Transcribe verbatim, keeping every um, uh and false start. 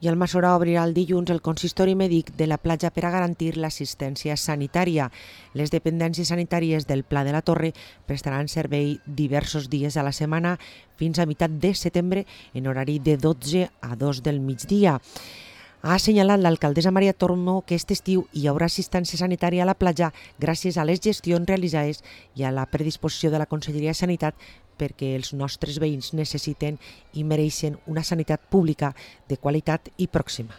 I el Massora obrirà el dilluns el consistori mèdic de la platja per a garantir l'assistència sanitària. Les dependències sanitàries del Pla de la Torre prestaran servei diversos dies a la setmana fins a meitat de setembre en horari de dotze a dos del migdia. Ha assenyalat l'alcaldessa Maria Tormo que aquest estiu hi haurà assistència sanitària a la platja gràcies a les gestions realitzades i a la predisposició de la Conselleria de Sanitat perquè els nostres veïns necessiten i mereixen una sanitat pública de qualitat i pròxima.